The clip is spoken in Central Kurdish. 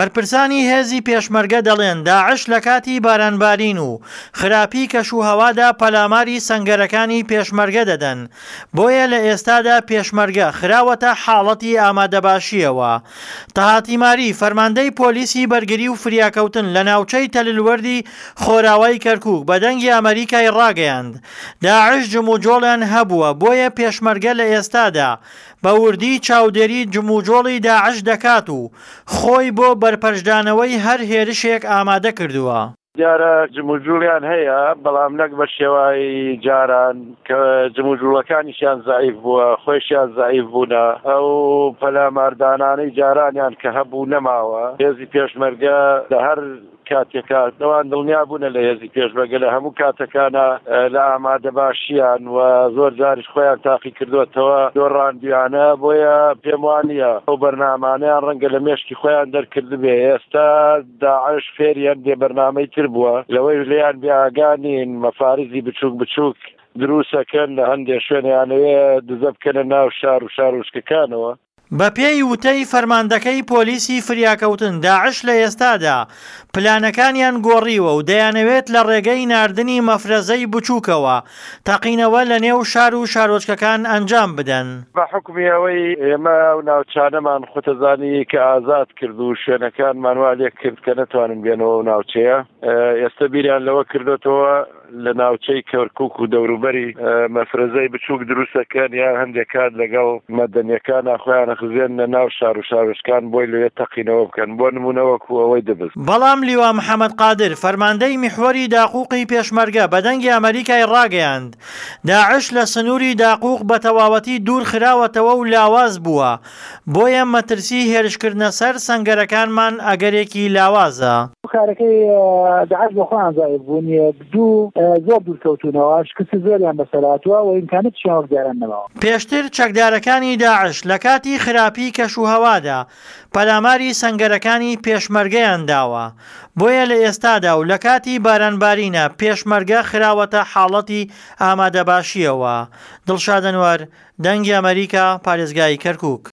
بەرپرسانی هێزی پێشمەرگە دەڵێن داعش لە کاتی بارانبارین و خراپی کەشوهەوادا پەلاماری سەنگەرەکانی پێشمەرگە دەدەن، بۆیە لە ئێستادا پێشمەرگە خراوەتە حاڵەتی ئامادەباشییەوە. تەها تیماری، فەرماندەی پۆلیسی بەرگری و فریاکەوتن لە ناوچەی تەللوەردی خۆراوای کەرکوک بە دەنگی ئەمەریکای ڕاگەیاند، داعش جموجۆڵیان هەبووە بۆیە پێشمەرگە لە ئێستادا بە وردی چاودێری جموجۆڵی داعش دەکات و خۆی بۆ بەرپەرچدانەوەی هەر هێرشێک ئامادە کردووە. دیارە جموجوڵیان هەیە، بەڵام نەک بە شێوای جاران کە جموجوڵەکانیشیان زەعیف بووە، خۆیشیان زەعیف بوونە، ئەو پەلاماردانانەی جارانیان کە هەبوو نەماوە، هێزی پێشمەرگە لە هەر کاتێکا ئەوان دڵنیا بوونە لە هێزی پێشمەرگە لە هەموو کاتەکانا لە ئامادەباشیان و زۆر جاریش خۆیان تاقی کردوەتەوە دۆڕاندویانە بۆیە پێم وانیە ئەو بەرنامانەیان ڕەنگە لە مێشکی خۆیان دەرکردبێ ئێستا داعش فێری هەندێ بەرنامەی تر بووە لەوەی لێیان بێ ئاگا نین مەفارزی بچوک بچوک دروسەکەن لە هەندێ شوێن یانەوێ دزە بکەنە ناو شار و شارۆچکەکانەوە. بەپێی وتەی فەرماندەکەی پۆلیسی فریاکەوتن، داعش لە ئێستادا پلانەکانیان گۆڕیوە و دەیانەوێت لە ڕێگەی ناردنی مەفرەزەی بچووکەوە تەقینەوە لەنێو شار و شارۆچکەکان ئەنجام بدەن. بە حوکمی ئەوەی ئێمە ئەو ناوچانەمان خۆتەزانی کە ئازاد کرد و شوێنەکانمان وا لێ کرد کە نەتوانن بێنەوە ئەو ناوچەیە، ئێستە بیریان لەوە کردۆتەوە لە ناوچەی کەرکوک و دەوروبەری مەفرەزەی بچووک دروست دەکەن یان هەندێک کات لەگەڵ مەدەنیەکانا خۆیان ئەخزێننە ناو شار و شارۆچکان بۆی لەوێ تەقینەوە بکەن بۆ نموونە وەکو ئەوەی دبس. بەڵام لیوا محەمەد قادر، فەرماندەی میحوەری داقوقی پێشمەرگە بە دەنگی ئەمەریکای ڕاگەیاند، داعش لە سنووری داقوق بە تەواوەتی دوور خراوەتەوە و لاواز بووە، بۆیە مەترسی هێرشکردنە سەر سەنگەرەکانمان ئەگەرێکی لاوازە. کارەکەی داعش بۆ خۆیان زایف بوون، یەک دوو زۆر دوور کەوتوونەوە، شکستی زۆریان بەسەر هاتووە و ئیمکاناتیشیان وەک جاران نەماوە. پێشتر چەکدارەکانی داعش لە کاتی خراپی کەشوهەوادا پەلاماری سەنگەرەکانی پێشمەرگەیان داوە، بۆیە لە ئێستادا و لە کاتی بارانبارینە پێشمەرگە خراوەتە حاڵەتی ئامادەباشییەوە. دڵشاد ئەنوەر، دەنگی ئەمەریکا، پارێزگای کەرکوک.